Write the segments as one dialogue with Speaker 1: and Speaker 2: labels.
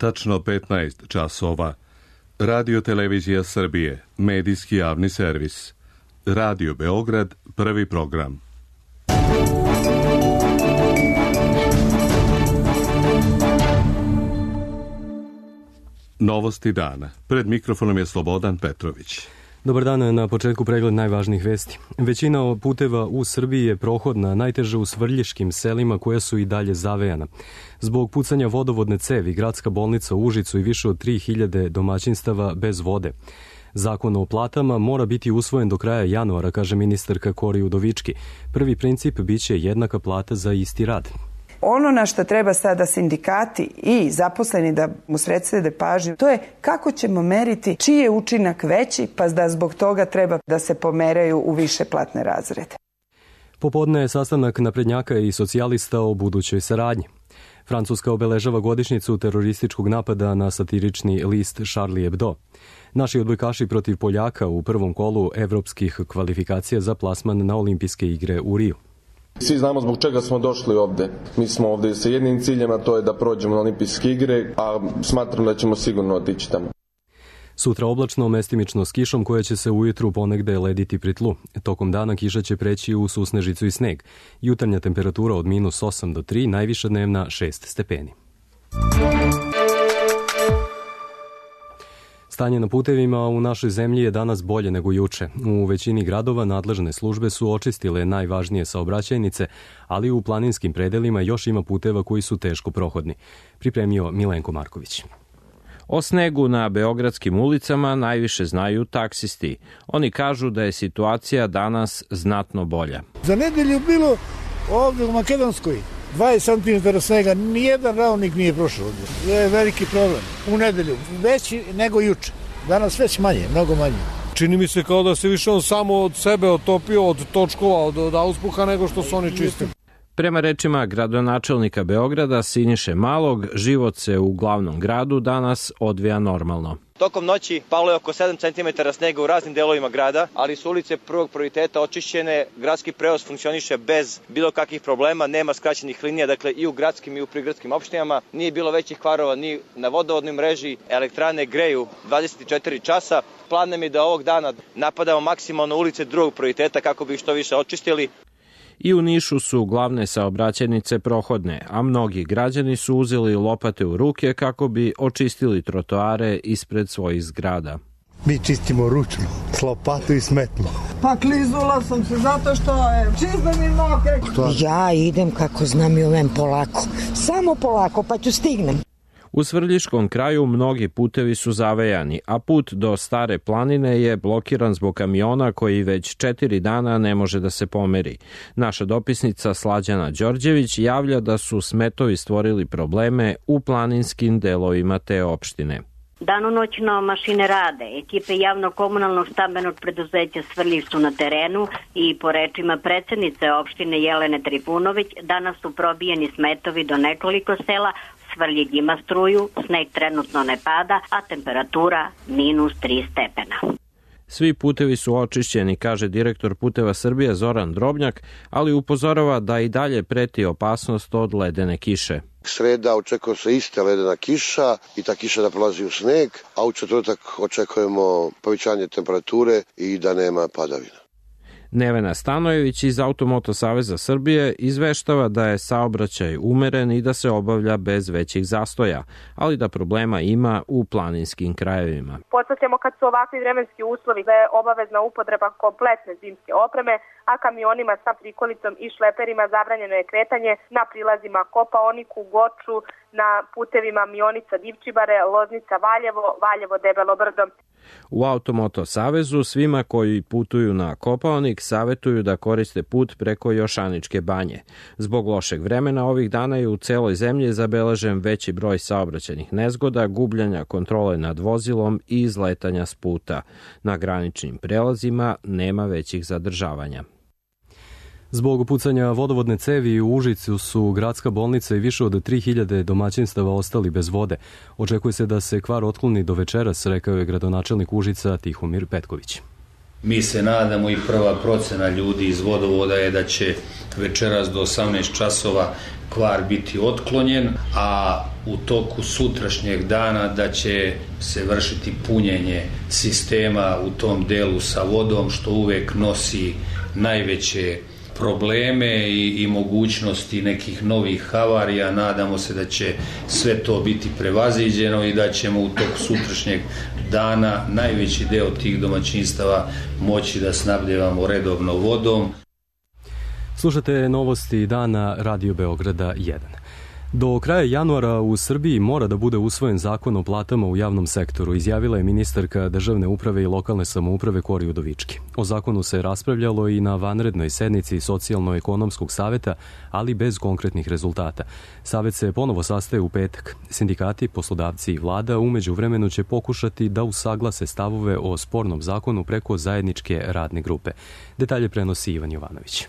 Speaker 1: tačno 15 časova. Radio Televizija Srbije, medijski javni servis. Radio Beograd, prvi program. Novosti dana. Pred mikrofonom je Slobodan Petrović.
Speaker 2: Dobar dan, na početku pregled najvažnijih vesti. Većina puteva u Srbiji je prohodna, najteže u svrljiškim selima koja su i dalje zavejana. Zbog pucanja vodovodne cevi, gradska bolnica u Užicu i više od 3000 domaćinstava bez vode. Zakon o platama mora biti usvojen do kraja januara, kaže ministarka Kori Udovički. Prvi princip biće jednaka plata za isti rad.
Speaker 3: Ono na što treba sada sindikati i zaposleni da mu srede pažnju, to je kako ćemo meriti čiji je učinak veći, pa da zbog toga treba da se pomeraju u više platne razrede.
Speaker 2: Popodne je sastanak naprednjaka i socijalista o budućoj saradnji. Francuska obeležava godišnjicu terorističkog napada na satirični list Charlie Hebdo. Naši odbojkaši protiv Poljaka u prvom kolu evropskih kvalifikacija za plasman na olimpijske igre u Riju.
Speaker 4: Svi znamo zbog čega smo došli ovde. Mi smo ovde sa jednim ciljem, a to je da prođemo na olimpijske igre, a smatram da ćemo sigurno otići tamo.
Speaker 2: Sutra oblačno, mestimično s kišom koja će se ujutru ponegde lediti pri tlu. Tokom dana kiša će preći u susnežicu i sneg. Jutarnja temperatura od -8 do 3, najviša dnevna 6 stepeni. Stanje na putevima u našoj zemlji je danas bolje nego juče. U većini gradova nadležne službe su očistile najvažnije saobraćajnice, ali u planinskim predelima još ima puteva koji su teško prohodni. Pripremio Milenko Marković.
Speaker 5: O snegu na beogradskim ulicama najviše znaju taksisti. Oni kažu da je situacija danas znatno bolja.
Speaker 6: Za nedelju bilo ovde u Makedonskoj 20 cm snega, nijedan ravnik nije prošao ovdje. To je veliki problem. U nedelju veći nego juče. Danas već manje, mnogo manje.
Speaker 7: Čini mi se kao da se više on samo od sebe otopio, od točkova, od auspuha nego što su oni čistili.
Speaker 5: Prema rečima gradonačelnika Beograda Siniše Malog, život se u glavnom gradu danas odvija normalno.
Speaker 8: Tokom noći palo je oko 7 cm snega u raznim delovima grada, ali su ulice prvog prioriteta očišćene, gradski prevoz funkcioniše bez bilo kakvih problema, nema skraćenih linija, dakle i u gradskim i u prigradskim opštinama, nije bilo većih kvarova ni na vodovodnoj mreži, elektrane greju 24 časa. Plan nam je da ovog dana napadamo maksimalno ulice drugog prioriteta kako bi ih što više očistili.
Speaker 5: I u Nišu su glavne saobraćajnice prohodne, a mnogi građani su uzeli lopate u ruke kako bi očistili trotoare ispred svojih zgrada.
Speaker 6: Mi čistimo ručno, s lopatu i smetlo.
Speaker 9: Pa klizula sam se zato što je čizme mi noge.
Speaker 10: Ja idem kako znam i ovem polako, samo polako pa ću stignem.
Speaker 5: U Svrljiškom kraju mnogi putevi su zavejani, a put do Stare planine je blokiran zbog kamiona koji već 4 dana ne može da se pomeri. Naša dopisnica Slađana Đorđević javlja da su smetovi stvorili probleme u planinskim delovima te opštine.
Speaker 11: Danonoćno mašine rade, ekipe javno-komunalnog stambenog preduzeća Svrljiš su na terenu i po rečima predsednice opštine Jelene Trifunović danas su probijeni smetovi do nekoliko sela. Svrljig ima struju, sneg trenutno ne pada, a temperatura -3 stepena.
Speaker 5: Svi putevi su očišćeni, kaže direktor Puteva Srbije Zoran Drobnjak, ali upozorava da i dalje preti opasnost od ledene kiše.
Speaker 12: Sreda očekuje se iste ledena kiša i ta kiša da prolazi u sneg, a u četvrtak očekujemo povećanje temperature i da nema padavina.
Speaker 5: Nevena Stanojević iz Automoto Saveza Srbije izveštava da je saobraćaj umeren i da se obavlja bez većih zastoja, ali da problema ima u planinskim krajevima.
Speaker 13: Podsjećamo kad su ovakvi vremenski uslovi da je obavezna upotreba kompletne zimske opreme, a kamionima sa prikolicom i šleperima zabranjeno je kretanje na prilazima Kopaoniku, Goču, na putevima Mionica Divčibare, Loznica Valjevo, Valjevo Debelo Brdo.
Speaker 5: U Automoto Savezu svima koji putuju na Kopaonik savetuju da koriste put preko Jošaničke banje. Zbog lošeg vremena ovih dana je u celoj zemlji zabeležen veći broj saobraćajnih nezgoda, gubljenja kontrole nad vozilom i izletanja s puta. Na graničnim prelazima nema većih zadržavanja.
Speaker 2: Zbog pucanja vodovodne cevi u Užicu su gradska bolnica i više od 3000 domaćinstava ostali bez vode. Očekuje se da se kvar otkloni do večeras, rekao je gradonačelnik Užica Tihomir Petković.
Speaker 14: Mi se nadamo i prva procena ljudi iz vodovoda je da će večeras do 18 časova kvar biti otklonjen, a u toku sutrašnjeg dana da će se vršiti punjenje sistema u tom delu sa vodom, što uvek nosi najveće probleme i mogućnosti nekih novih havarija. Nadamo se da će sve to biti prevaziđeno i da ćemo u toku sutrašnjeg dana najveći deo tih domaćinstava moći da snabdevamo redovno vodom.
Speaker 2: Slušate novosti dana Radio Beograda 1. Do kraja januara u Srbiji mora da bude usvojen zakon o platama u javnom sektoru, izjavila je ministarka državne uprave i lokalne samouprave Kori Udovički. O zakonu se raspravljalo i na vanrednoj sednici Socijalno-ekonomskog saveta, ali bez konkretnih rezultata. Savet se ponovo sastaje u petak. Sindikati, poslodavci i vlada u međuvremenu će pokušati da usaglase stavove o spornom zakonu preko zajedničke radne grupe. Detalje prenosi Ivan Jovanović.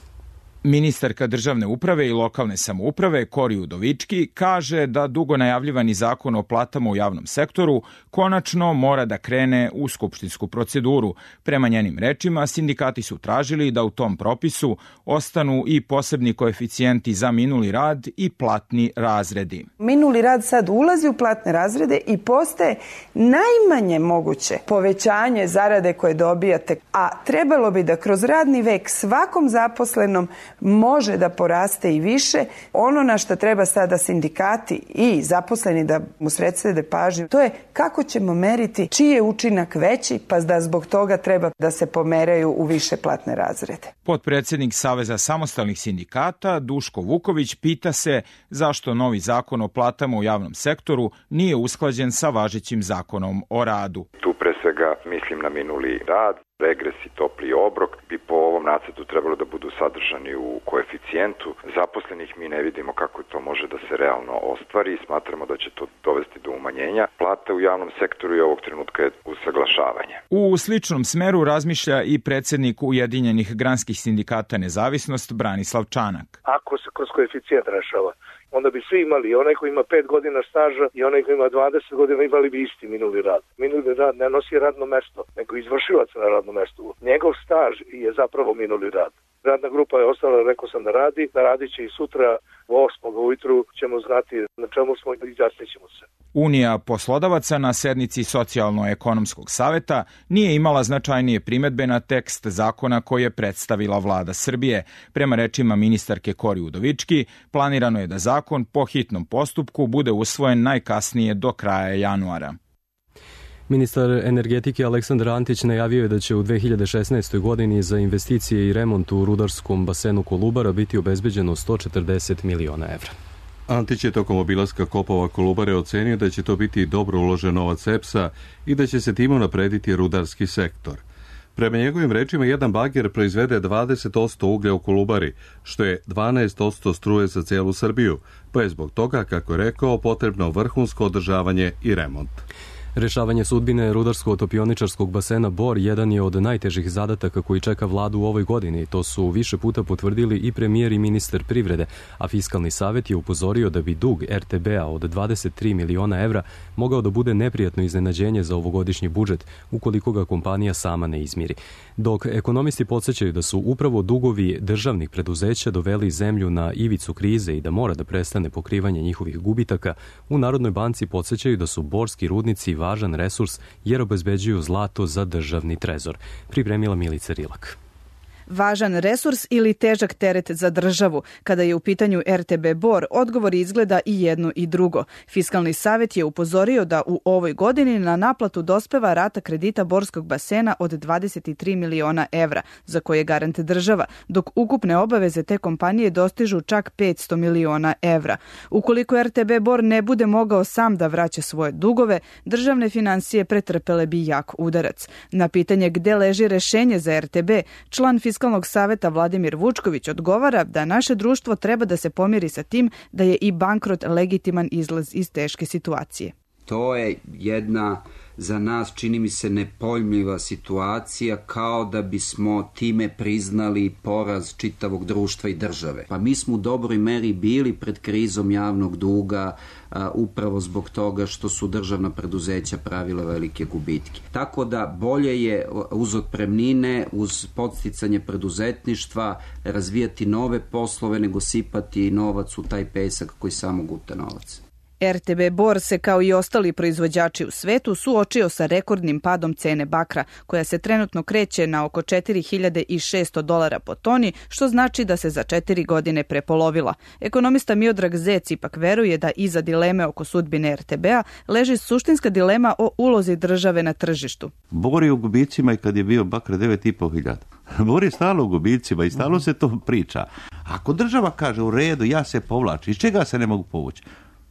Speaker 15: Ministarka državne uprave i lokalne samouprave Kori Udovički kaže da dugo najavljivani zakon o platama u javnom sektoru konačno mora da krene u skupštinsku proceduru. Prema njenim rečima, sindikati su tražili da u tom propisu ostanu i posebni koeficijenti za minuli rad i platni razredi.
Speaker 3: Minuli rad sad ulazi u platne razrede i postaje najmanje moguće povećanje zarade koje dobijate, a trebalo bi da kroz radni vek svakom zaposlenom može da poraste i više. Ono na što treba sada sindikati i zaposleni da mu sredstvede pažnju, to je kako ćemo meriti čiji je učinak veći, pa da zbog toga treba da se pomeraju u više platne razrede.
Speaker 15: Potpredsednik Saveza samostalnih sindikata Duško Vuković pita se zašto novi zakon o platama u javnom sektoru nije usklađen sa važećim zakonom o radu.
Speaker 16: Tu pre svega mislim na minuli rad. Regres i topli obrok bi po ovom nacrtu trebalo da budu sadržani u koeficijentu zaposlenih. Mi ne vidimo kako to može da se realno ostvari i smatramo da će to dovesti do umanjenja plata u javnom sektoru i ovog trenutka je usaglašavanje.
Speaker 15: U sličnom smeru razmišlja i predsednik Ujedinjenih granskih sindikata Nezavisnost Branislav Čanak.
Speaker 17: Ako se kroz koeficijent rešava, onda bi svi imali, i onaj koji ima 5 godina staža i onaj koji ima 20 godina imali bi isti minuli rad. Minuli rad ne nosi radno mesto, nego izvršilac na radnom mestu. Njegov staž je zapravo minuli rad. Radna grupa je ostala, rekao sam da radit će i sutra u 8 ujutru ćemo znati na čemu smo i izjasnit ćemo se.
Speaker 15: Unija poslodavaca na sednici Socijalno-ekonomskog saveta nije imala značajnije primedbe na tekst zakona koji je predstavila vlada Srbije. Prema rečima ministarke Kori Udovički, planirano je da zakon po hitnom postupku bude usvojen najkasnije do kraja januara.
Speaker 2: Ministar energetike Aleksandar Antić najavio je da će u 2016. godini za investicije i remont u rudarskom basenu Kolubara biti obezbeđeno 140 miliona evra.
Speaker 1: Antić je tokom obilaska kopova Kolubare ocenio da će to biti dobro uložen novac EPS-a i da će se time unaprediti rudarski sektor. Prema njegovim rečima, jedan bager proizvede 20% uglja u Kolubari, što je 12% struje za celu Srbiju, pa je zbog toga, kako je rekao, potrebno vrhunsko održavanje i remont.
Speaker 2: Rešavanje sudbine rudarsko-topioničarskog basena Bor jedan je od najtežih zadataka koji čeka vladu u ovoj godini. To su više puta potvrdili i premijer i ministar privrede, a Fiskalni savet je upozorio da bi dug RTB-a od 23 miliona evra mogao da bude neprijatno iznenađenje za ovogodišnji budžet, ukoliko ga kompanija sama ne izmiri. Dok ekonomisti podsjećaju da su upravo dugovi državnih preduzeća doveli zemlju na ivicu krize i da mora da prestane pokrivanje njihovih gubitaka, u Narodnoj banci podsjećaju da su borski rudnici važan resurs jer obezbeđuju zlato za državni trezor. Pripremila Milica Rilak.
Speaker 18: Važan resurs ili težak teret za državu. Kada je u pitanju RTB Bor, odgovor izgleda i jedno i drugo. Fiskalni savet je upozorio da u ovoj godini na naplatu dospeva rata kredita borskog basena od 23 miliona evra, za koje je garant država, dok ukupne obaveze te kompanije dostižu čak 500 miliona evra. Ukoliko RTB Bor ne bude mogao sam da vraća svoje dugove, državne finansije pretrpele bi jak udarac. Na pitanje gde leži rešenje za RTB, član Fiskalnog saveta Vladimir Vučković odgovara da naše društvo treba da se pomiri sa tim da je i bankrot legitiman izlaz iz teške situacije.
Speaker 19: To je jedna za nas, čini mi se, nepojmljiva situacija, kao da bismo time priznali poraz čitavog društva i države. Pa mi smo u dobroj meri bili pred krizom javnog duga upravo zbog toga što su državna preduzeća pravila velike gubitke. Tako da bolje je uz otpremnine, uz podsticanje preduzetništva razvijati nove poslove nego sipati novac u taj pesak koji samo guta novac.
Speaker 18: RTB Bor se kao i ostali proizvođači u svetu suočio sa rekordnim padom cene bakra, koja se trenutno kreće na oko $4.600 po toni, što znači da se za 4 godine prepolovila. Ekonomista Miodrag Zec ipak veruje da iza dileme oko sudbine RTB-a leži suštinska dilema o ulozi države na tržištu.
Speaker 20: Bor je u gubicima i kad je bio bakra 9.500. Bor je stalo u gubicima i stalo se to priča. Ako država kaže u redu, ja se povlačim, iz čega se ne mogu povući?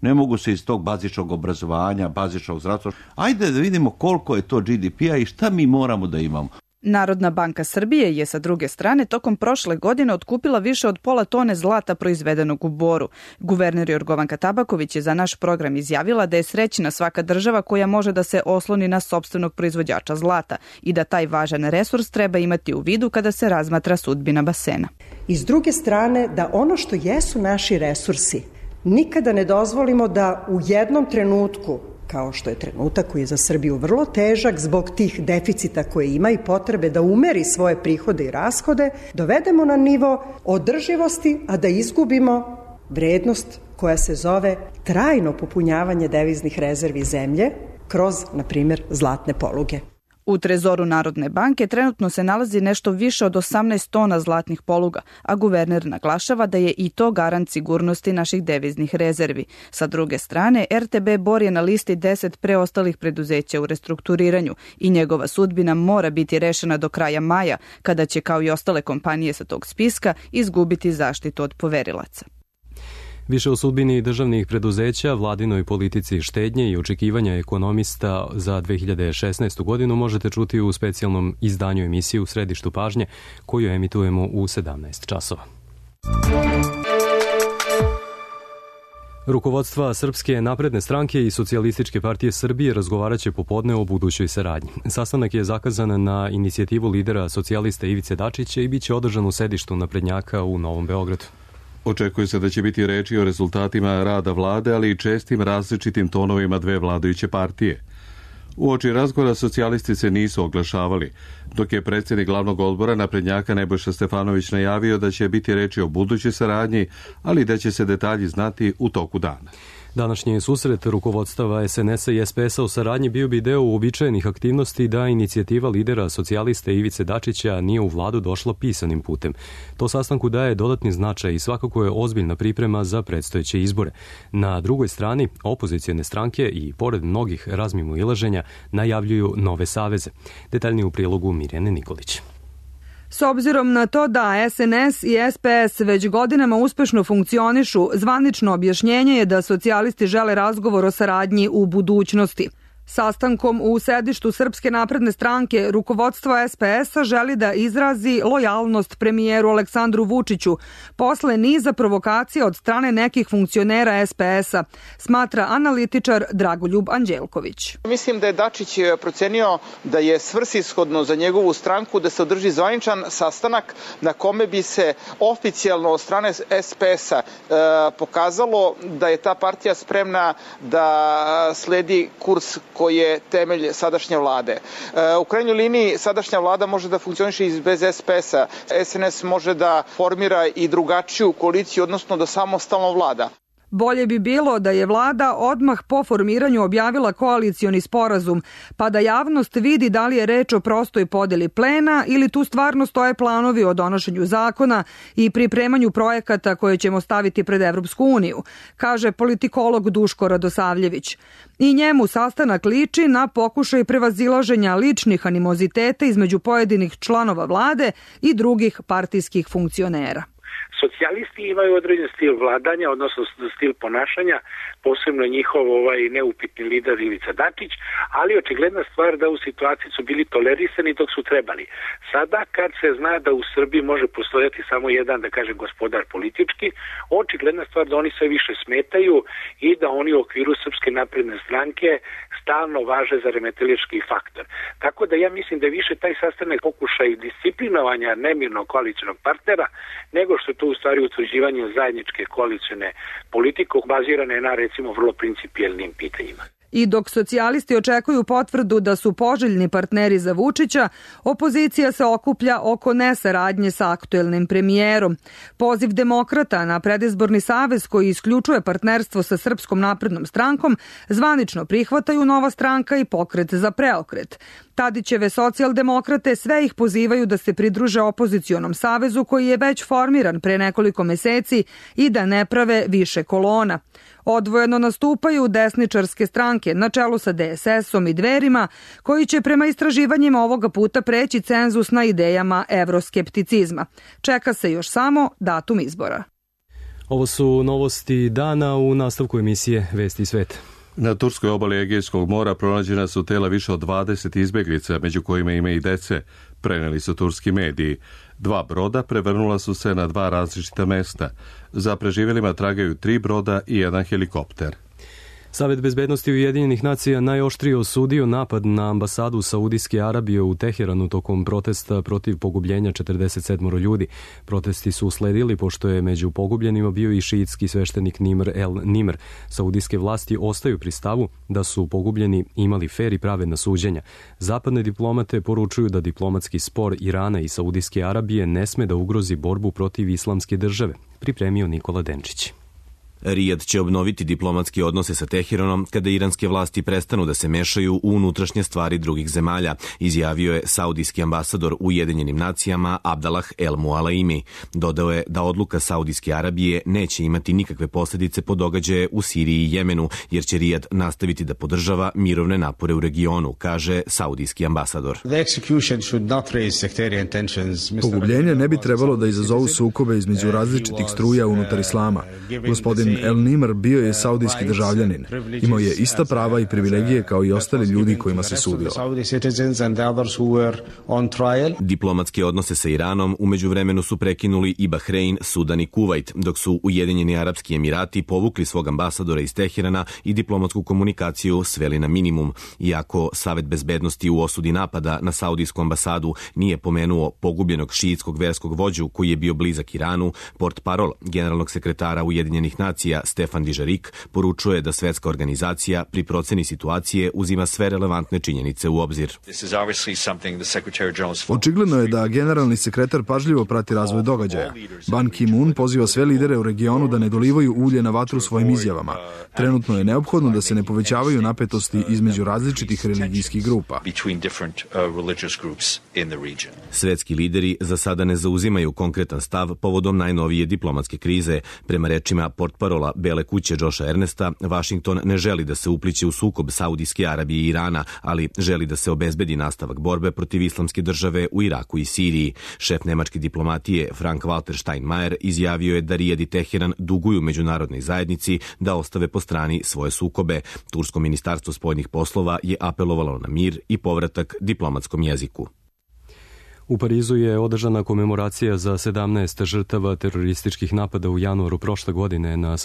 Speaker 20: Ne mogu se iz tog bazičnog obrazovanja, bazičnog zdravstva. Ajde da vidimo koliko je to GDP-a i šta mi moramo da imamo.
Speaker 18: Narodna banka Srbije je sa druge strane tokom prošle godine otkupila više od pola tone zlata proizvedenog u Boru. Guverner Jorgovanka Tabaković je za naš program izjavila da je srećna svaka država koja može da se osloni na sopstvenog proizvođača zlata i da taj važan resurs treba imati u vidu kada se razmatra sudbina basena.
Speaker 21: I s druge strane da ono što jesu naši resursi nikada ne dozvolimo da u jednom trenutku, kao što je trenutak koji je za Srbiju vrlo težak zbog tih deficita koje ima i potrebe da umeri svoje prihode i rashode, dovedemo na nivo održivosti, a da izgubimo vrednost koja se zove trajno popunjavanje deviznih rezervi zemlje kroz, na primjer, zlatne poluge.
Speaker 18: U trezoru Narodne banke trenutno se nalazi nešto više od 18 tona zlatnih poluga, a guverner naglašava da je i to garant sigurnosti naših deviznih rezervi. Sa druge strane, RTB Bor je na listi 10 preostalih preduzeća u restrukturiranju i njegova sudbina mora biti rešena do kraja maja, kada će, kao i ostale kompanije sa tog spiska, izgubiti zaštitu od poverilaca.
Speaker 2: Više o sudbini državnih preduzeća, vladinoj politici štednje i očekivanja ekonomista za 2016. godinu možete čuti u specijalnom izdanju emisije U središtu pažnje, koju emitujemo u 17 časova. Rukovodstva Srpske napredne stranke i Socijalističke partije Srbije razgovaraće popodne o budućoj saradnji. Sastanak je zakazan na inicijativu lidera socijalista Ivice Dačića i biće održan u sedištu naprednjaka u Novom Beogradu.
Speaker 1: Očekuje se da će biti reči o rezultatima rada vlade, ali i čestim različitim tonovima dve vladajuće partije. Uoči razgovora socijalisti se nisu oglašavali, dok je predsjednik glavnog odbora naprednjaka Nebojša Stefanović najavio da će biti reči o budućoj saradnji, ali da će se detalji znati u toku dana.
Speaker 2: Današnji susret rukovodstava SNS-a i SPS-a u saradnji bio bi deo uobičajenih aktivnosti da inicijativa lidera socijaliste Ivice Dačića nije u vladu došla pisanim putem. To sastanku daje dodatni značaj i svakako je ozbiljna priprema za predstojeće izbore. Na drugoj strani, opozicijone stranke i pored mnogih razmimoilaženja najavljuju nove saveze. Detaljnije u prilogu Mirjane Nikolić.
Speaker 22: S obzirom na to da SNS i SPS već godinama uspešno funkcionišu, zvanično objašnjenje je da socijalisti žele razgovor o saradnji u budućnosti. Sastankom u sedištu Srpske napredne stranke rukovodstvo SPS-a želi da izrazi lojalnost premijeru Aleksandru Vučiću posle niza provokacija od strane nekih funkcionera SPS-a, smatra analitičar Dragoljub Anđelković.
Speaker 23: Mislim da je Dačić procenio da je svrsishodno za njegovu stranku da se održi zvaničan sastanak na kome bi se oficijalno od strane SPS-a pokazalo da je ta partija spremna da sledi kurs koji je temelj sadašnje vlade. U krajnjoj liniji sadašnja vlada može da funkcioniše i bez SPS-a. SNS može da formira i drugačiju koaliciju, odnosno da samostalno vlada.
Speaker 22: Bolje bi bilo da je vlada odmah po formiranju objavila koalicioni sporazum, pa da javnost vidi da li je reč o prostoj podeli plena ili tu stvarno stoje planovi o donošenju zakona i pripremanju projekata koje ćemo staviti pred Evropsku uniju, kaže politikolog Duško Radosavljević. I njemu sastanak liči na pokušaj prevazilaženja ličnih animoziteta između pojedinih članova vlade i drugih partijskih funkcionera.
Speaker 4: Socijalisti imaju određen stil vladanja, odnosno stil ponašanja, posebno njihov neupitni lider Ivica Dačić, ali očigledna stvar da u situaciji su bili tolerisani dok su trebali. Sada kad se zna da u Srbiji može postojati samo jedan, da kažem, gospodar politički, očigledna stvar da oni sve više smetaju i da oni u okviru Srpske napredne stranke stalno važe za remetilački faktor. Tako da ja mislim da je više taj sastanak pokušaj disciplinovanja nemirnog koalicionog partnera, nego što je to u stvari utvrđivanje zajedničke koalicione politike bazirane na recimo vrlo principijelnim pitanjima.
Speaker 22: I dok socijalisti očekuju potvrdu da su poželjni partneri za Vučića, opozicija se okuplja oko nesaradnje sa aktuelnim premijerom. Poziv demokrata na predizborni savez koji isključuje partnerstvo sa Srpskom naprednom strankom zvanično prihvataju Nova stranka i Pokret za preokret. Tadićeve socijaldemokrate sve ih pozivaju da se pridruže opozicionom savezu koji je već formiran pre nekoliko meseci i da ne prave više kolona. Odvojeno nastupaju desničarske stranke na čelu sa DSS-om i Dverima, koji će prema istraživanjima ovoga puta preći cenzus na idejama evroskepticizma. Čeka se još samo datum izbora.
Speaker 2: Ovo su novosti dana u nastavku emisije Vesti sveta.
Speaker 1: Na turskoj obali Egejskog mora pronađena su tela više od 20 izbeglica, među kojima ima i dece, preneli su turski mediji. 2 broda prevrnula su se na 2 različita mesta. Za preživjelima tragaju 3 broda i 1 helikopter.
Speaker 2: Savet bezbednosti Ujedinjenih nacija najoštrije osudio napad na ambasadu Saudijske Arabije u Teheranu tokom protesta protiv pogubljenja 47 ljudi. Protesti su usledili pošto je među pogubljenima bio i šiitski sveštenik Nimr el Nimr. Saudijske vlasti ostaju pri stavu da su pogubljeni imali fer i pravedna suđenja. Zapadne diplomate poručuju da diplomatski spor Irana i Saudijske Arabije ne sme da ugrozi borbu protiv islamske države. Pripremio Nikola Denčić.
Speaker 7: Rijad će obnoviti diplomatske odnose sa Teheranom kada iranske vlasti prestanu da se mešaju u unutrašnje stvari drugih zemalja, izjavio je saudijski ambasador u Ujedinjenim nacijama Abdallah El Mualaimi. Dodao je da odluka Saudijske Arabije neće imati nikakve posljedice po događaje u Siriji i Jemenu, jer će Rijad nastaviti da podržava mirovne napore u regionu, kaže saudijski ambasador.
Speaker 8: Pogubljenje ne bi trebalo da izazovu sukobe između različitih struja unutar islama. Gospodin El Nimr bio je saudijski državljanin. Imao je ista prava i privilegije kao i ostali ljudi kojima se sudilo.
Speaker 7: Diplomatske odnose sa Iranom u međuvremenu su prekinuli i Bahrein, Sudan i Kuvajt, dok su Ujedinjeni Arapski Emirati povukli svog ambasadora iz Teherana i diplomatsku komunikaciju sveli na minimum. Iako Savet bezbednosti u osudi napada na saudijsku ambasadu nije pomenuo pogubljenog šiitskog verskog vođu koji je bio blizak Iranu, portparol generalnog sekretara Ujedinjenih nacija Stefan Dižarik poručuje da svetska organizacija pri proceni situacije uzima sve relevantne činjenice u obzir.
Speaker 8: Očigledno je da generalni sekretar pažljivo prati razvoj događaja. Ban Ki-moon poziva sve lidere u regionu da ne dolivaju ulje na vatru svojim izjavama. Trenutno je neophodno da se ne povećavaju napetosti između različitih religijskih grupa.
Speaker 7: Svetski lideri za sada ne zauzimaju konkretan stav povodom najnovije diplomatske krize. Prema rečima portparola Bele kuće Josha Ernesta, Vašington ne želi da se upliće u sukob Saudijske Arabije i Irana, ali želi da se obezbedi nastavak borbe protiv islamske države u Iraku i Siriji. Šef nemačke diplomatije Frank-Walter Steinmeier izjavio je da Rijad i Teheran duguju međunarodnoj zajednici da ostave po strani svoje sukobe. Tursko ministarstvo spoljnih poslova je apelovalo na mir i povratak diplomatskom jeziku.
Speaker 2: U Parizu je održana komemoracija za 17 žrtava terorističkih napada u januaru prošle godine na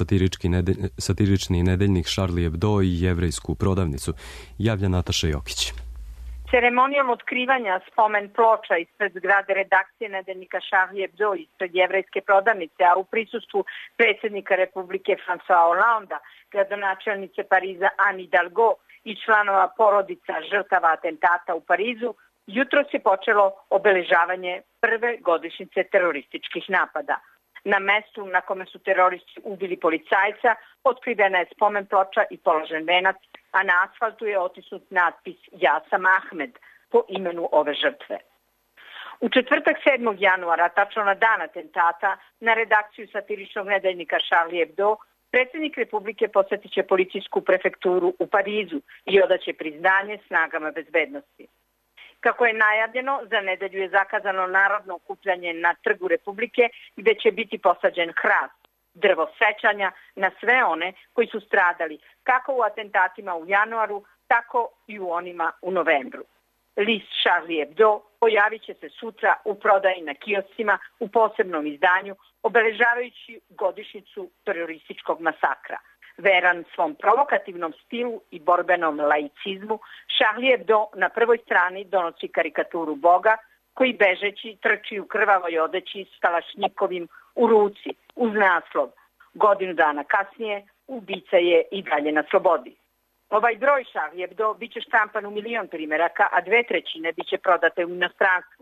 Speaker 2: satirični nedeljnik Charlie Hebdo i jevrejsku prodavnicu. Javlja Nataša Jokić.
Speaker 24: Ceremonijom otkrivanja spomen ploča ispred zgrade redakcije nedeljnika Charlie Hebdo ispred jevrejske prodavnice, a u prisustvu predsjednika Republike François Hollanda, gradonačelnice Pariza Anne Hidalgo i članova porodica žrtava atentata u Parizu, jutros je počelo obeležavanje prve godišnjice terorističkih napada. Na mestu na kome su teroristi ubili policajca otkrivena je spomen ploča i položen venac, a na asfaltu je otisnut natpis Ja sam Ahmed po imenu ove žrtve. U četvrtak 7. januara, tačno na dan atentata, na redakciju satiričnog nedeljnika Charlie Hebdo, predsjednik Republike posjetit će policijsku prefekturu u Parizu i odaće priznanje snagama bezbednosti. Kako je najavljeno, za nedelju je zakazano narodno okupljanje na Trgu Republike gde će biti posađen hrast, drvo sećanja na sve one koji su stradali kako u atentatima u januaru, tako i u onima u novembru. List Charlie Hebdo pojavit će se sutra u prodaji na kioscima u posebnom izdanju, obeležavajući godišnjicu terorističkog masakra. Veran svom provokativnom stilu i borbenom laicizmu, Charlie Hebdo na prvoj strani donosi karikaturu Boga koji bežeći trči u krvavoj odeći s kalašnjikovim u ruci uz naslov "Godinu dana kasnije ubica je i dalje na slobodi". Ovaj broj Charlie Hebdo biće štampan u 1.000.000 primeraka, a 2/3 biće prodate u inostranstvu.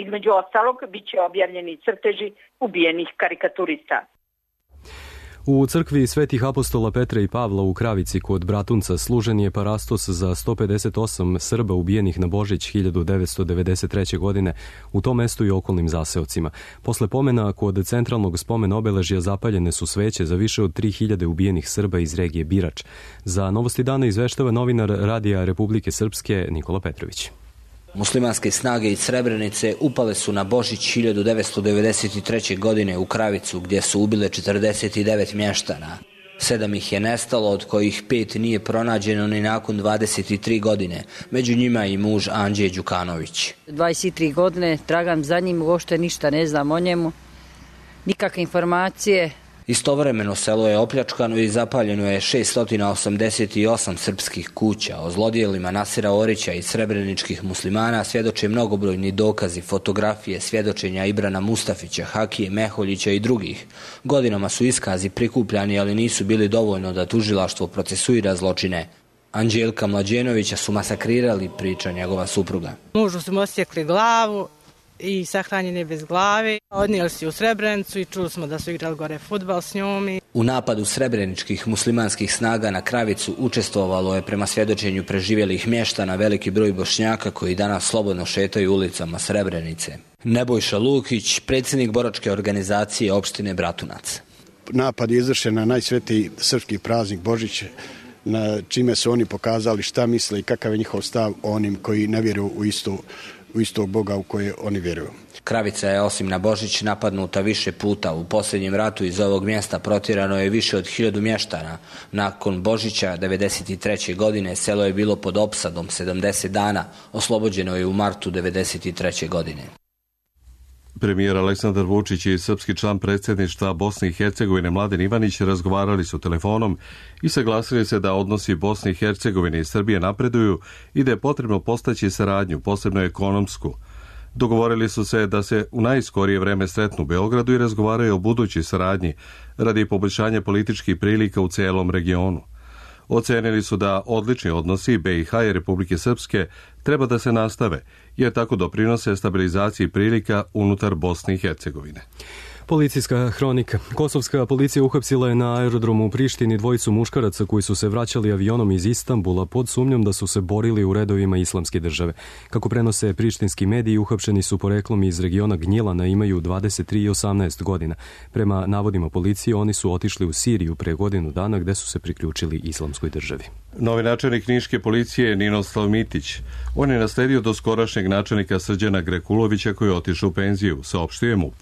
Speaker 24: Između ostalog, biće objavljeni crteži ubijenih karikaturista.
Speaker 2: U crkvi Svetih apostola Petra i Pavla u Kravici kod Bratunca služen je parastos za 158 Srba ubijenih na Božić 1993. godine u tom mestu i okolnim zaseocima. Posle pomena kod centralnog spomen obeležja zapaljene su sveće za više od 3000 ubijenih Srba iz regije Birač. Za Novosti dana izveštava novinar Radija Republike Srpske Nikola Petrović.
Speaker 6: Muslimanske snage iz Srebrenice upale su na Božić 1993. godine u Kravicu gdje su ubile 49 mještana. 7 ih je nestalo, od kojih 5 nije pronađeno ni nakon 23 godine. Među njima i muž Anđe Đukanović.
Speaker 9: 23 godine tragam za njim, uopšte ništa ne znam o njemu, nikakve informacije.
Speaker 6: Istovremeno selo je opljačkano i zapaljeno je 688 srpskih kuća. O zlodjelima Nasira Orića i srebreničkih muslimana svjedoče mnogobrojni dokazi, fotografije, svjedočenja Ibrana Mustafića, Hakije Meholjića i drugih. Godinama su iskazi prikupljani, ali nisu bili dovoljno da tužilaštvo procesuira zločine. Anđelka Mlađenovića su masakrirali, priča njegova supruga.
Speaker 10: Mužu su mu osjekli glavu i sahranjen je bez glave. Odnijeli su u Srebrenicu i čuli smo da su igrali gore fudbal s njom.
Speaker 6: U napadu srebreničkih muslimanskih snaga na Kravicu učestvovalo je prema svjedočenju preživjelih mještana veliki broj Bošnjaka koji danas slobodno šetaju ulicama Srebrenice. Nebojša Lukić, predsjednik boračke organizacije opštine Bratunac.
Speaker 11: Napad je izvršen na najsvetiji srpski praznik Božić, na čime su oni pokazali šta misle i kakav je njihov stav onim koji ne vjeruju u istog Boga u koje oni vjeruju.
Speaker 6: Kravica je osim na Božić napadnuta više puta. U posljednjem ratu iz ovog mjesta protjerano je više od 1000 mještana. Nakon Božića 1993. godine selo je bilo pod opsadom 70 dana. Oslobođeno je u martu 1993. godine.
Speaker 1: Premijer Aleksandar Vučić i srpski član predsjedništva Bosne i Hercegovine Mladen Ivanić razgovarali su telefonom i saglasili se da odnosi Bosne i Hercegovine i Srbije napreduju i da je potrebno postaći saradnju, posebno ekonomsku. Dogovorili su se da se u najskorije vreme sretnu u Beogradu i razgovaraju o budućoj saradnji radi poboljšanja političkih prilika u celom regionu. Ocenili su da odlični odnosi BiH i Republike Srpske treba da se nastave, jer tako doprinose stabilizaciji prilika unutar Bosne i Hercegovine.
Speaker 2: Policijska hronika. Kosovska policija uhapsila je na aerodromu u Prištini dvojicu muškaraca koji su se vraćali avionom iz Istanbula pod sumnjom da su se borili u redovima Islamske države. Kako prenose prištinski mediji, uhapšeni su poreklom iz regiona Gnjilana, imaju 23 i 18 godina. Prema navodima policije, oni su otišli u Siriju pre godinu dana gde su se priključili Islamskoj državi.
Speaker 1: Novi načelnik Niške policije Ninoslav Mitić. On je nasledio doskorašnjeg načelnika Srđana Grekulovića koji je otišao u penziju, saopštio je MUP.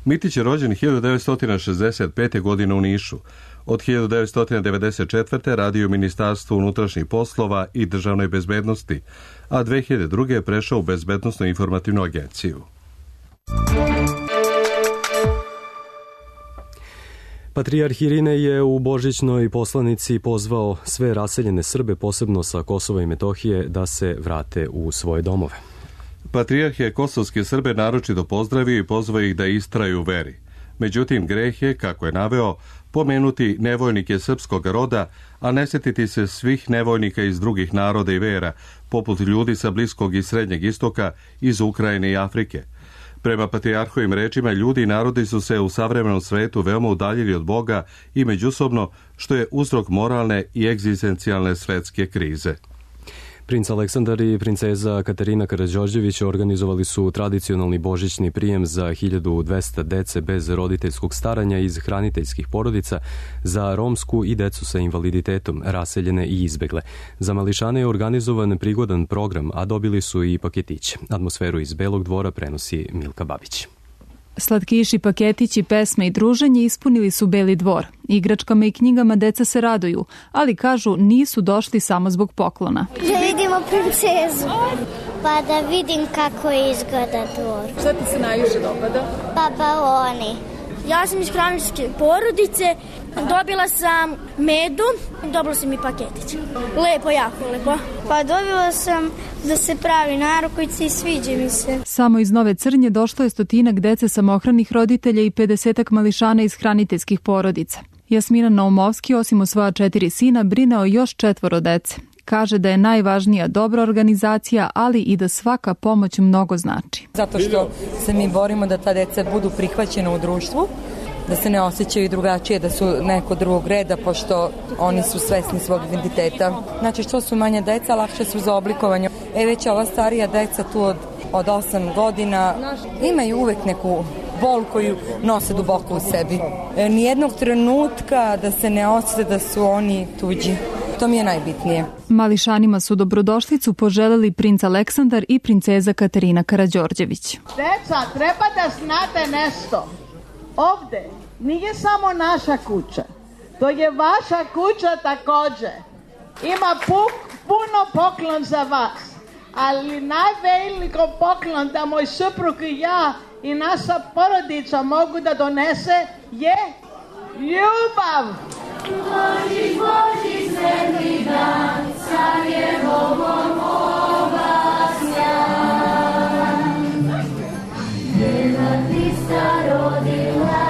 Speaker 1: Mitić je rođen 1965. godine u Nišu. Od 1994. radio u Ministarstvu unutrašnjih poslova i državnoj bezbednosti, a 2002. je prešao u Bezbednosnu informativnu agenciju.
Speaker 2: Patrijarh Irine je u božićnoj poslanici pozvao sve raseljene Srbe, posebno sa Kosova i Metohije, da se vrate u svoje domove.
Speaker 1: Patrijarh je kosovske Srbe naročito pozdravio i pozvao ih da istraju u veri. Međutim, greh je, kako je naveo, pomenuti nevoljnike srpskog roda, a ne sjetiti se svih nevoljnika iz drugih naroda i vera, poput ljudi sa Bliskog i Srednjeg istoka, iz Ukrajine i Afrike. Prema patrijarhovim rečima, ljudi i narodi su se u savremenom svetu veoma udaljili od Boga i međusobno, što je uzrok moralne i egzistencijalne svetske krize.
Speaker 2: Princ Aleksandar i princeza Katarina Karađorđević organizovali su tradicionalni božićni prijem za 1200 dece bez roditeljskog staranja iz hraniteljskih porodica za romsku i decu sa invaliditetom, raseljene i izbegle. Za mališane je organizovan prigodan program, a dobili su i paketiće. Atmosferu iz Belog dvora prenosi Milka Babić.
Speaker 5: Slatkiši, paketići, pesme i druženje ispunili su Beli dvor. Igračkama i knjigama deca se raduju, ali kažu nisu došli samo zbog poklona.
Speaker 12: Da vidimo princezu, pa da vidim kako izgleda dvor.
Speaker 13: Šta ti se najviše dopada?
Speaker 12: Pa baloni.
Speaker 13: Ja sam iz hraniteljske porodice, dobila sam medu, dobila sam i paketić. Lepo, jako lepo.
Speaker 12: Pa dobila sam da se pravi narukvice i sviđa mi se.
Speaker 5: Samo iz Nove Crnje došlo je 100 dece samohranih roditelja i 50 mališana iz hraniteljskih porodica. Jasmina Naumovski, osim o svoja 4 sina, brine o još 4 dece. Kaže da je najvažnija dobra organizacija, ali i da svaka pomoć mnogo znači.
Speaker 14: Zato što se mi borimo da ta deca budu prihvaćena u društvu, da se ne osjećaju drugačije, da su neko drugog reda, pošto oni su svesni svog identiteta. Znači, što su manje deca, lakše su za oblikovanje. Već ova starija deca tu od 8 godina imaju uvek neku bol koju nose duboko u sebi. Nijednog trenutka da se ne osjete da su oni tuđi. To mi je najbitnije.
Speaker 5: Mališanima su dobrodošlicu poželeli princ Aleksandar i princeza Katarina Karađorđević.
Speaker 25: Deca, treba da znate nešto. Ovde nije samo naša kuća. To je vaša kuća takođe. Ima puno poklon za vas. Ali najveliko poklon da moj suprug i ja i naša porodica mogu da donese je ljubav.
Speaker 12: Božić, Božić, sveti dan, car je Bogom obasjan. Djeva Hrista rodila.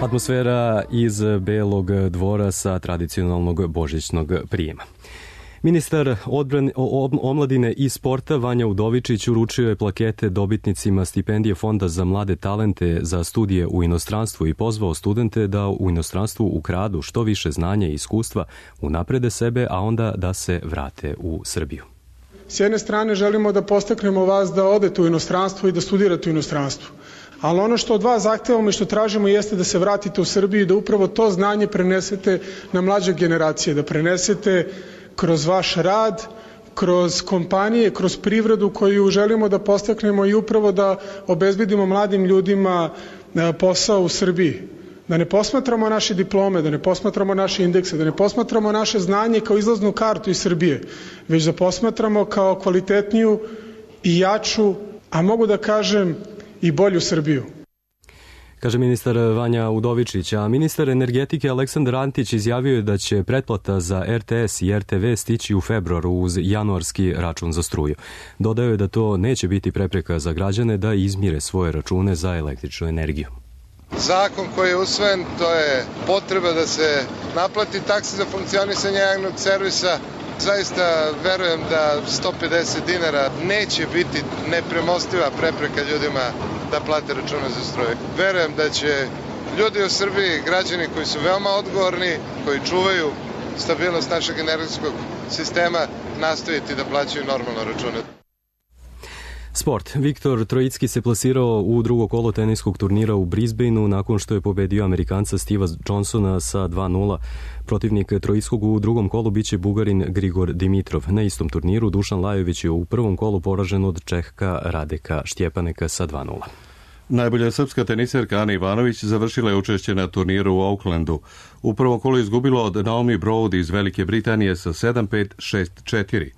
Speaker 2: Atmosfera iz Belog dvora sa tradicionalnog božićnog prijema. Ministar omladine i sporta Vanja Udovičić uručio je plakete dobitnicima stipendije Fonda za mlade talente za studije u inostranstvu i pozvao studente da u inostranstvu ukradu što više znanja i iskustva, unaprede sebe, a onda da se vrate u Srbiju.
Speaker 26: S jedne strane želimo da podstaknemo vas da odete u inostranstvo i da studirate u inostranstvu. Ali ono što od vas zahtevamo i što tražimo jeste da se vratite u Srbiju i da upravo to znanje prenesete na mlađe generacije, da prenesete kroz vaš rad, kroz kompanije, kroz privredu koju želimo da podstaknemo i upravo da obezbedimo mladim ljudima posao u Srbiji. Da ne posmatramo naše diplome, da ne posmatramo naše indekse, da ne posmatramo naše znanje kao izlaznu kartu iz Srbije, već da posmatramo kao kvalitetniju i jaču, a mogu da kažem i bolju Srbiju.
Speaker 2: Kaže ministar Vanja Udovičić, a ministar energetike Aleksandar Antić izjavio je da će pretplata za RTS i RTV stići u februaru uz januarski račun za struju. Dodao je da to neće biti prepreka za građane da izmire svoje račune za električnu energiju.
Speaker 27: Zakon koji je usvojen, to je potreba da se naplati taksa za funkcionisanje javnog servisa. Zaista verujem da 150 dinara neće biti nepremostiva prepreka ljudima da plate račune za struju. Verujem da će ljudi u Srbiji, građani koji su veoma odgovorni, koji čuvaju stabilnost našeg energetskog sistema, nastaviti da plaćaju normalno račune.
Speaker 2: Sport. Viktor Trojicki se plasirao u drugo kolo teniskog turnira u Brisbaneu nakon što je pobedio Amerikanca Steva Johnsona sa 2-0. Protivnik Trojickog u drugom kolu biće Bugarin Grigor Dimitrov. Na istom turniru Dušan Lajović je u prvom kolu poražen od Čehka Radeka Štjepaneka sa 2-0.
Speaker 1: Najbolja srpska teniserka Ana Ivanović završila je učešće na turniru u Aucklandu. U prvom kolu izgubila od Naomi Broad iz Velike Britanije sa 7-5, 6-4.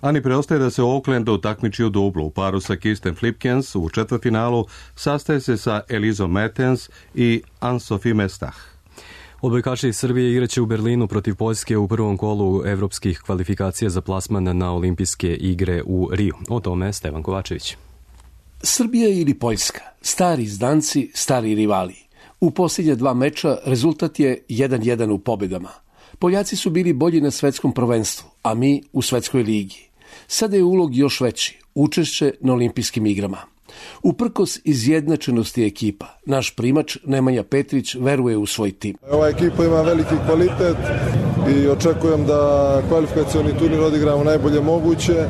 Speaker 1: Ani preostaje da se u Aucklandu takmiči u dublu. U paru sa Kirsten Flipkens u četvrtfinalu sastaje se sa Elizom Mertens i Anne-Sophie Mestach.
Speaker 2: Odbojkaši iz Srbije igraće u Berlinu protiv Poljske u prvom kolu evropskih kvalifikacija za plasman na olimpijske igre u Riju. O tome Stevan Kovačević.
Speaker 28: Srbija ili Poljska, stari zdanci, stari rivali. U posljednja 2 meča rezultat je 1-1 u pobjedama. Poljaci su bili bolji na svetskom prvenstvu, a mi u svetskoj ligi. Sada je ulog još veći, učešće na olimpijskim igrama. Uprkos izjednačenosti ekipa, naš primač Nemanja Petrić veruje u svoj tim.
Speaker 29: Ova ekipa ima veliki kvalitet,
Speaker 3: i očekujem da kvalifikacioni turnir odigramo najbolje moguće,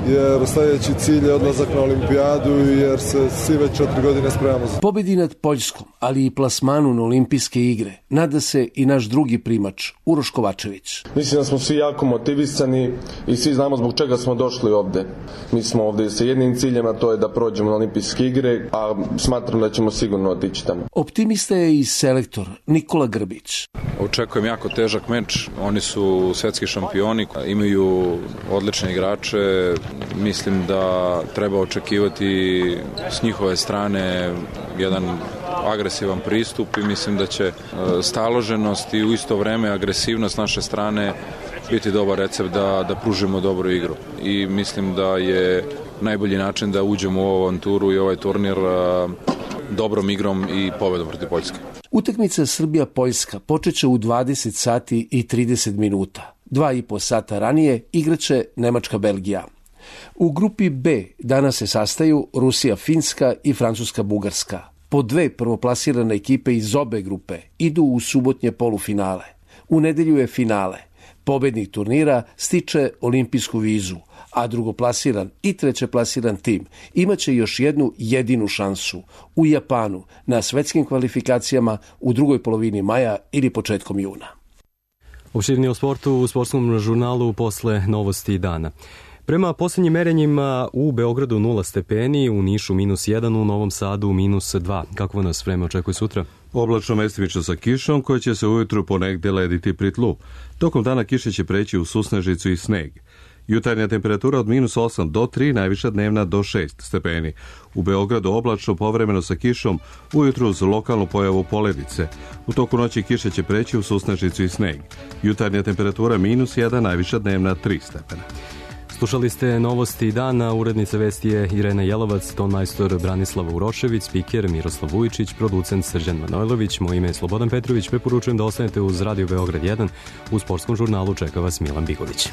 Speaker 3: jer sljedeći cilj je odlazak na olimpijadu, jer se svi već 4 godine spremamo za.
Speaker 28: Pobedi nad Poljskom, ali i plasmanu na olimpijske igre, nada se i naš drugi primač, Uroš Kovačević.
Speaker 15: Mislim da smo svi jako motivisani i svi znamo zbog čega smo došli ovde. Mi smo ovde sa jednim ciljem, a to je da prođemo na olimpijske igre, a smatram da ćemo sigurno otići tamo.
Speaker 28: Optimista je i selektor Nikola Grbić.
Speaker 16: Očekujem jako težak meč, oni su svetski šampioni, imaju odlične igrače, mislim da treba očekivati s njihove strane jedan agresivan pristup i mislim da će staloženost i u isto vreme agresivnost naše strane biti dobar recept da pružimo dobru igru. I mislim da je najbolji način da uđemo u ovu avanturu i ovaj turnir dobrom igrom i pobedom protiv Poljske.
Speaker 28: Utakmica Srbija-Poljska počeće u 20 sati i 30 minuta. 2,5 sata ranije igraće Nemačka-Belgija. U grupi B danas se sastaju Rusija-Finska i Francuska-Bugarska. Po 2 prvoplasirane ekipe iz obe grupe idu u subotnje polufinale. U nedelju je finale. Pobednik turnira stiče olimpijsku vizu, a drugoplasiran i trećeplasiran tim imaće još jednu jedinu šansu u Japanu na svetskim kvalifikacijama u drugoj polovini maja ili početkom juna.
Speaker 2: Opširnije o sportu u sportskom žurnalu posle novosti dana. Prema posljednjim merenjima u Beogradu 0 stepeni, u Nišu -1, u Novom Sadu -2. Kako nas vreme očekuje sutra?
Speaker 1: Oblačno mestimično sa kišom koja će se ujutru ponegde lediti pri tlu. Tokom dana kiše će preći u susnežicu i sneg. Jutarnja temperatura od -8 do 3, najviša dnevna do 6 stepeni. U Beogradu oblačno povremeno sa kišom, ujutru uz lokalnu pojavu poledice. U toku noći kiše će preći u susnežicu i sneg. Jutarnja temperatura -1, najviša dnevna 3 stepena.
Speaker 2: Slušali ste novosti dana, urednica vesti je Irena Jelovac, tonmajstor Branislava Urošević, spiker Miroslav Vujičić, producent Srđan Manojlović, moje ime je Slobodan Petrović, preporučujem da ostanete uz Radio Beograd 1, u sportskom žurnalu čeka vas Milan Bigović.